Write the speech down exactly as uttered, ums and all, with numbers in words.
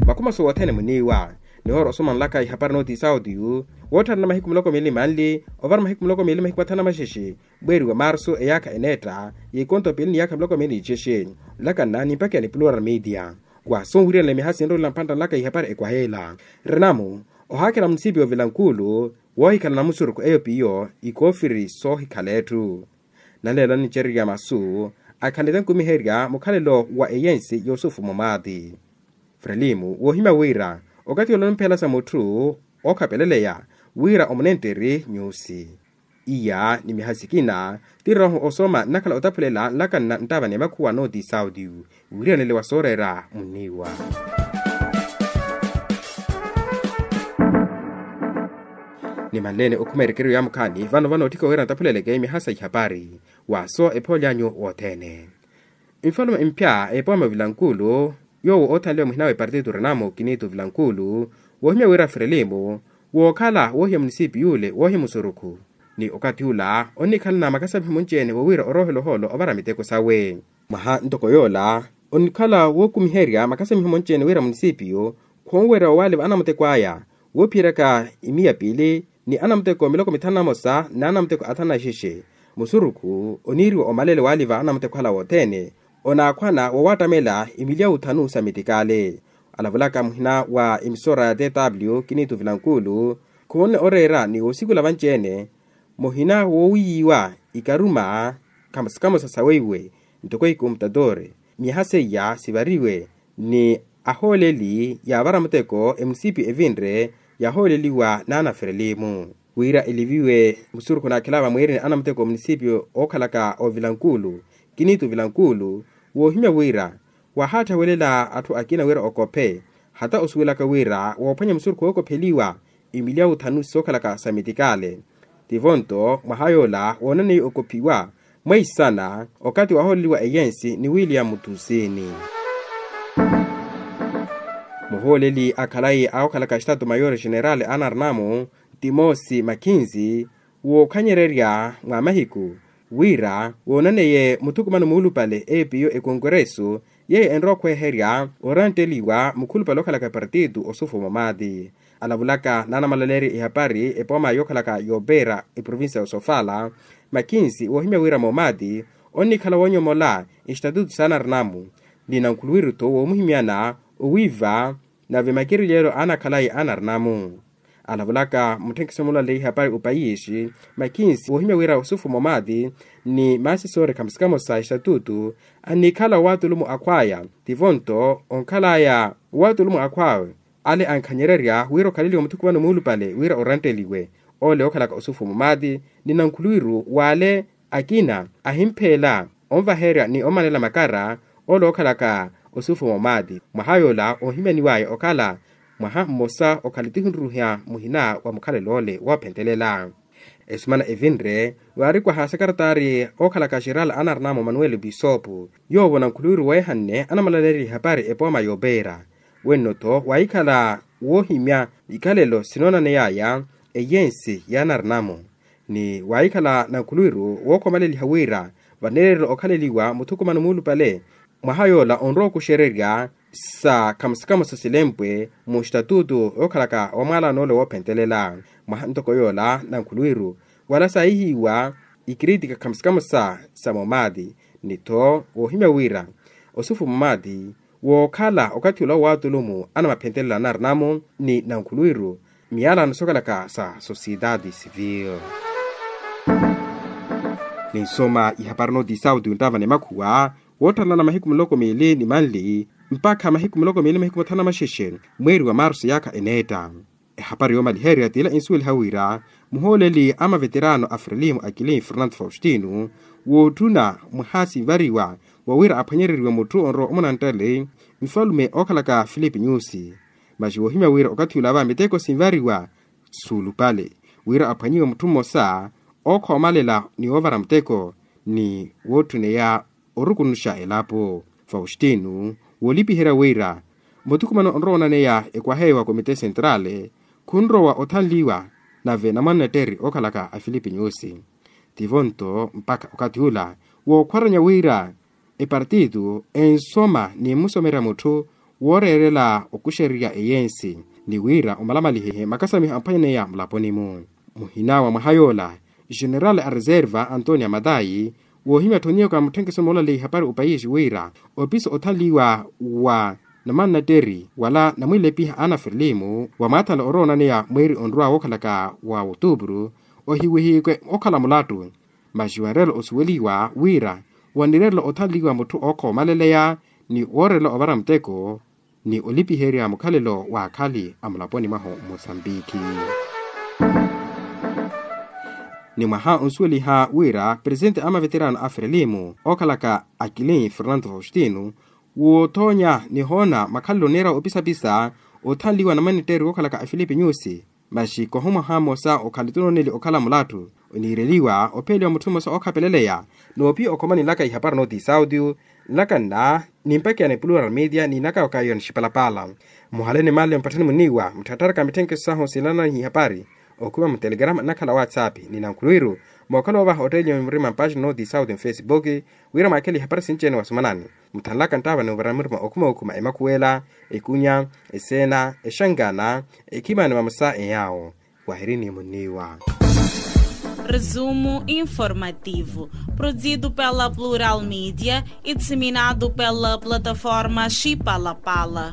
Makhumaso wothene muniiwa nihoora osomanlaka ihapari nooti sauti yu wootthana mahiku muloko miili manli ovara mahiku muloko miili mahiku mathanu na maxexe mweeri wa marsu eyaakha eneetta y'ikonto piili ni yaakha miloko miili nixexe. Nlakanna ni mpakha ya ni plural media wa sonwiriyana ni miha sinrolela mphantta nlaka ihapari ekwaheela renamu ohaakhela munisipiyo vilankulu woohikhala na musurukhu eyo piyo ikoofiri soohikhala etthu. Naleelo annicererya masu akhanle tankumiherya mukhalelo wa eyensi yusufu mumaati. Frelimu woohimya wira okathi ole onimphela sa mutthu ookhapeleleya wira omunentteri nyusi iya ni miha sikina ti rooho osoma nnakhala otaphulela nlakanna nttaava ni makhuwa nooti sauti. Wiriyanele wa sooreera munniiwa nimanleene okhuma erekeryo ya mukhaani vano vano otthika wira ntaphuleleke miha sa ihapari. Waaso ephooli anyu wothene nfalume mphya epooma vilankulu yoowo oothanliwa muhina wa epartito renamu kinitu vilankulu woohimya wira frelimu wookhala woohiya munisipi yule woohiya musurukhu ni okathi ula onnikhalana makasamiho munci-ene wowiira oroohela ohoolo ovara miteko sawe. Mwaha ntoko yoola onnikhala wookumiherya makasamiho munci-ene wira munisipiyu khonwerya owaali va anamuteko aya woophiyeryaka imiya piili ni anamuteko miloko mithanu na mosa n'anamuteko athanu na ixexe. Musurukhu oniiriwa omalele waaliva anamuteko ala wothene onaakhwana wowattamela imiliya wuthanu sa mitikaale. Alavulaka muhina wa emisora ya tw kinitu vilankulu khumonne oreera ni woosikula vanci-ene muhina woowiyiwa ikaruma kamosa kamosa saweiwe ntoko ikomputatoori miyaha seiya sivariwe ni ahooleli yaavara muteko emunisipiyu evinre yahooleliwa n'anaferelimu wira eliviwe musurukhu naakhela vamweereni anamuteko munisipiyu ookhalaka ovilankulu kinitu vilankulu woohimya wira wahaatthawelela atthu akina wira okophe hata osuwelaka wira woophwanya musurukhu wookopheliwa imiliya wuthanu sookhalaka sa mitikaale. Tivo nto mwaha yoola woonaneiye okophiwa mweisana okathi wahooleliwa eyensi ni william mutusini muhooleli akhalayi awookhalaka estatu mayori general anarnamu timosi makhinzi wookhanyererya mwa mahiku wira woonaneiye muthukumano muulupale epiyo ekonkuresu yeeyo enrowa okhweherya orantteliwa mukhulupale okhalaka epartito osufu mamaati. Alavulaka n'anamalaleerya ihapari epooma yookhalaka yoopeera eprovincia ya osofala makinsi woohimya wira moomaati onnikhala woonyomola estatutu s'anarinamu ni nankhuluwiru-tho woomuhimyana owiiva nave makirilyeelo anakhalayi anarinamu. Alavulaka mutthenkiso mulale ihapari opayiixi makinsi woohimya wira osufu moomaati ni maasisoori khamosa kamosa estatutu annikhala owaatulumu akhwaya tivo-nto onkhalaya owaatulumu akhwawe ale ankhanyererya wira okhaleliwe muthukumano muulupale wira orantteliwe ole ookhalaka osufu mumati ni nankhuluwiru w'ale akina ahimpheela onvaherya ni omanela makara ole ookhalaka osufu mumati mwaha yoola oohimyaniwaya okhala mwaha mmosa okhale tihinruhya muhina wa mukhalelo ole woophentelela. Esumana evinre waarikwaha sekaretari ookhalaka xerala anarinamu manuel bisopu yoovo nankhuluwiru weehanne anamalaleerya ihapari epooma yoopeera wenno-tho waahikhala woohimya ikhalelo sinoonaneyaya eyensi y'anarinamu ni waahikhala nankhuluwiru wookhomaleliha wira vaneererela okhaleliwa muthukumano muulupale mwaha yoola onrowa okuxererya sa khamosa khamosa silempwe mu estatutu yookhalaka omwaalano ole woophentelela mwaha ntoko yoola nankhuluwiru wala saahihiwa ikiritika khamosa khamosa sa momati ni-tho woohimya wira osufu momati wookhala okathi ula owaatulumu anamaphentelela anarinamu ni nankhuluwiru miyalano sookhalaka sa sociedade civil. Ninsoma ihapari nooti sauti yunttaava ni makhuwa woottalana mahiku muloko miili ni manli mpakha mahiku muloko miili mahiku mathanu na maxexe mweeri wa marsu yaakha eneetta. Ehapari yoomaliherya t'ila ensuweliha wira muhooleli a maveterano a frelimo akilini fernando faustino wootthuna mwaha sinvariwa wa wira aphwanyereriwe mutthu onrowa omunanttale nfalume ookhalaka filipi nyusi. Masi woohimya wira okathi ula va miteko sinvariwa suulupale wira aphwanyiwe mutthu mmosa ookhoomalela ni woovara muteko ni woottuneya orukunuxa elapo. Faustino woolipiherya wira muthukumano onrowa onaneya ekwaha eyo wa komite sentrale khunrowa othanliwa nave namwannetteri ookhalaka afilipi nyusi tivo-nto mpakha okathi ula wookhwaranya wira epartitu ensoma ni mmusomerya mutthu wooreerela okuxererya eyensi, ni wira omalamalihihe makasamiho amphwanyaneya mulaponi-mu. Muhina wa mwaha yoola, general a reserva antonia matayi woohimya tthoniyaka mutthenkeso moolaleya ihapari opayisi wira opiso othanliwa wa namannateri wala namwilepiha ana ferlimu wamwaathanla oroonaneya mweeri onrwa wookhalaka wa otuupuru ohiwihikwe okhala mulattu. Masi wanreerela osuweliwa wira wanireerela othanliwa mutthu ookhomaleleya ni wooreerela ovara muteko ni olipiherya mukhalelo w'akhali a mulaponi mwahu mosambiki. Ni mwaha onsuweliha wira presitenti a maveterano a frelimu ookhalaka akilin fernando faustino woothoonya nihoona makhalelo oneera opisapisa othanliwa na manitteeri wookhalaka a filipe nyusi. Masi koho mwaha mmosa okhali tunoneli okhala mulattu oniireliwa opheliwa mutthu mmosa ookhapeleleya noopiya okhomani nlaka ihapari notisauti. Nlaka nna nimpakiyana plural media ni naka okaiwa nixipalapala. Muhaleni male mpatthani muniiwa mutthattaraka mitthenkeso sahu sinlananihi ihapari okhuma mutelegrama nnakhala whatsapp ni nankhuluwiru mookhala ovaha otteeliwa mimurima mpaxina notisauti mfesibuki wira mwaakhele ihapari sinci-ene wasumanani. Muthanlaka nttaava ni ovara murima okhuma okhuma emakhuwela, ekunya, eseena, exangana, ekhimani vamosa eyaawo. Wahirini muniiwa. Resumo informativo, produzido pela plural media e disseminado pela plataforma xipalapala.